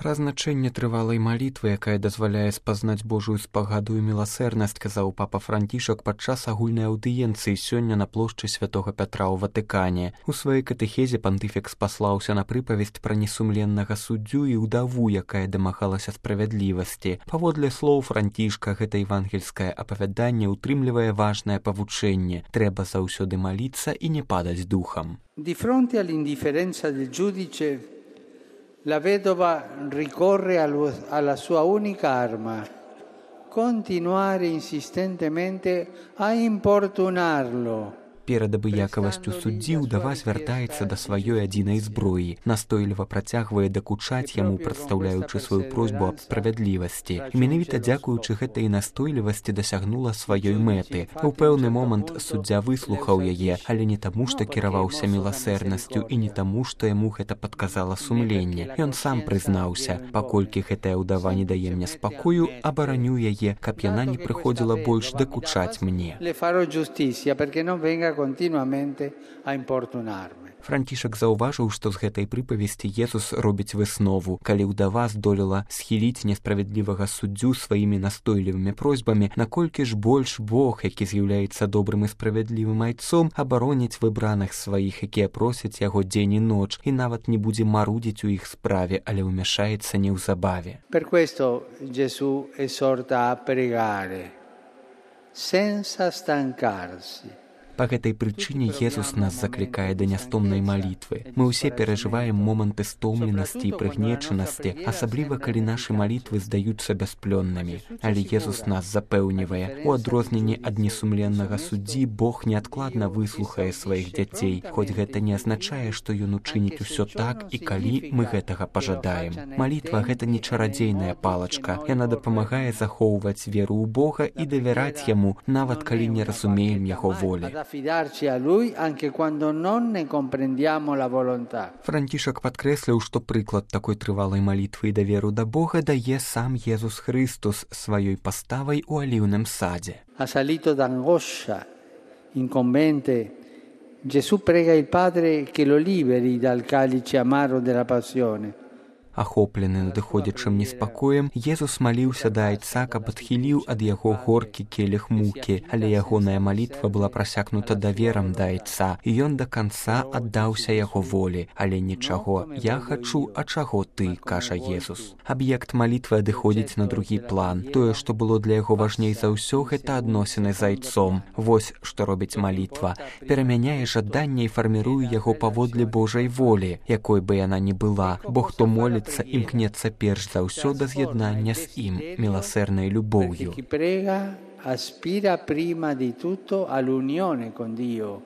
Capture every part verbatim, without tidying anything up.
Пра значэнне трывалай малітвы, якая дазваляе спазнаць Божую спагаду і міласэрнасць, казаў папа Францішак падчас агульнай аўдыенцыі сёння на плошчы святога Пятра ў Ватыкане. У сваёй катэхезе пантыфік спаслаўся на прыпавесць пра несумленнага суддзю і ўдаву, якая дамагалася справядлівасці. Паводле слоў Францішка, гэта евангельскае апавяданне ўтрымлівае важнае павучэнне. Трэба заўсёды маліцца і не падаць духам. Di fronte all'indifferenza del giudice, la vedova ricorre alla sua unica arma, continuare insistentemente a importunarlo. Перад абыякавасцю суддзі ўдава звяртаецца да сваёй адзінай зброі, настойліва працягвае дакучаць яму, прадстаўляючы сваю просьбу аб справядлівасці. І менавіта дзякуючы гэтай настойлівасці дасягнула сваёй мэты. У пэўны момант суддзя выслухаў яе, але не таму, што кіраваўся міласэрнасцю і не таму, што яму гэта падказала сумленне. Ён сам прызнаўся: паколькі гэтая ўдава не дае мне спакою, абараню яе, каб яна не прыходзіла больш дакучаць мне. continuamente a importunarme. Францішак заўважыў, што з гэтай прыпавесці Езус робіць выснову. Калі ўдава здолела схіліць несправядлівага суддзю сваімі настойлівымі просьбамі, наколькі ж больш Бог, які з'яўляецца добрым і справядлівым айцом, абароніць выбраных сваіх, якія просяць яго дзень і ноч, і нават не будзе марудзіць у іх справе, але ўмяшаецца неўзабаве. Per questo Gesù esorta a pregare senza stancarsi. Па гэтай прычыне Езус нас заклікае да нястомнай малітвы. Мы ўсе перажываем моманты стомленасці і прыгнечанасці, асабліва калі нашы малітвы здаюцца бясплённымі. Але Езус нас запэўнівае: у адрозненні ад несумленнага суддзі Бог неадкладна выслухае сваіх дзяцей, хоць гэта не азначае, што ён учыніць усё так і калі мы гэтага пажадаем. Малітва — гэта не чарадзейная палачка. Яна дапамагае захоўваць веру ў Бога і давяраць яму, нават калі не разумеем яго волі. Францішак падкрэсліў, што прыклад такой трывалай малітвы і даверу да Бога дае сам Езус Христус сваёй паставай у аліўным садзе. Assalito d'angoscia, incombente, Gesù prega il Padre che lo liberi dal calice amaro della passione. Ахоплены надыходзячым неспакоем, Езус маліўся да айца, каб адхіліў ад яго горкі келіх мукі, але ягоная малітва была прасякнута даверам да айца, і ён да канца аддаўся яго волі. Але нічаго, я хачу, а чаго ты, кажа Езус. Аб'ект малітвы адыходзіць на другі план. Тое, што было для яго важней за ўсё, гэта адносіны з айцом. Вось што робіць малітва. Перамяняе жаданне і фарміруе яго паводле Божай волі, якой бы яна ні была, бо хто моліць імкнецца перш за ўсё да з'яднання з ім міласэрнай любоўю. Aspira prima di tutto all'unione con Dio,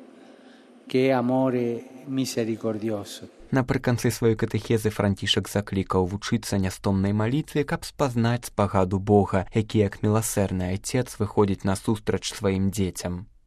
che è amore misericordioso. Напрыканцы сваёй катэхезы Францішак заклікаў вучыцца нястомнай малітве, каб спазнаць спагаду Бога, які як міласэрны айцец выходзіць насустрач сваім дзецям.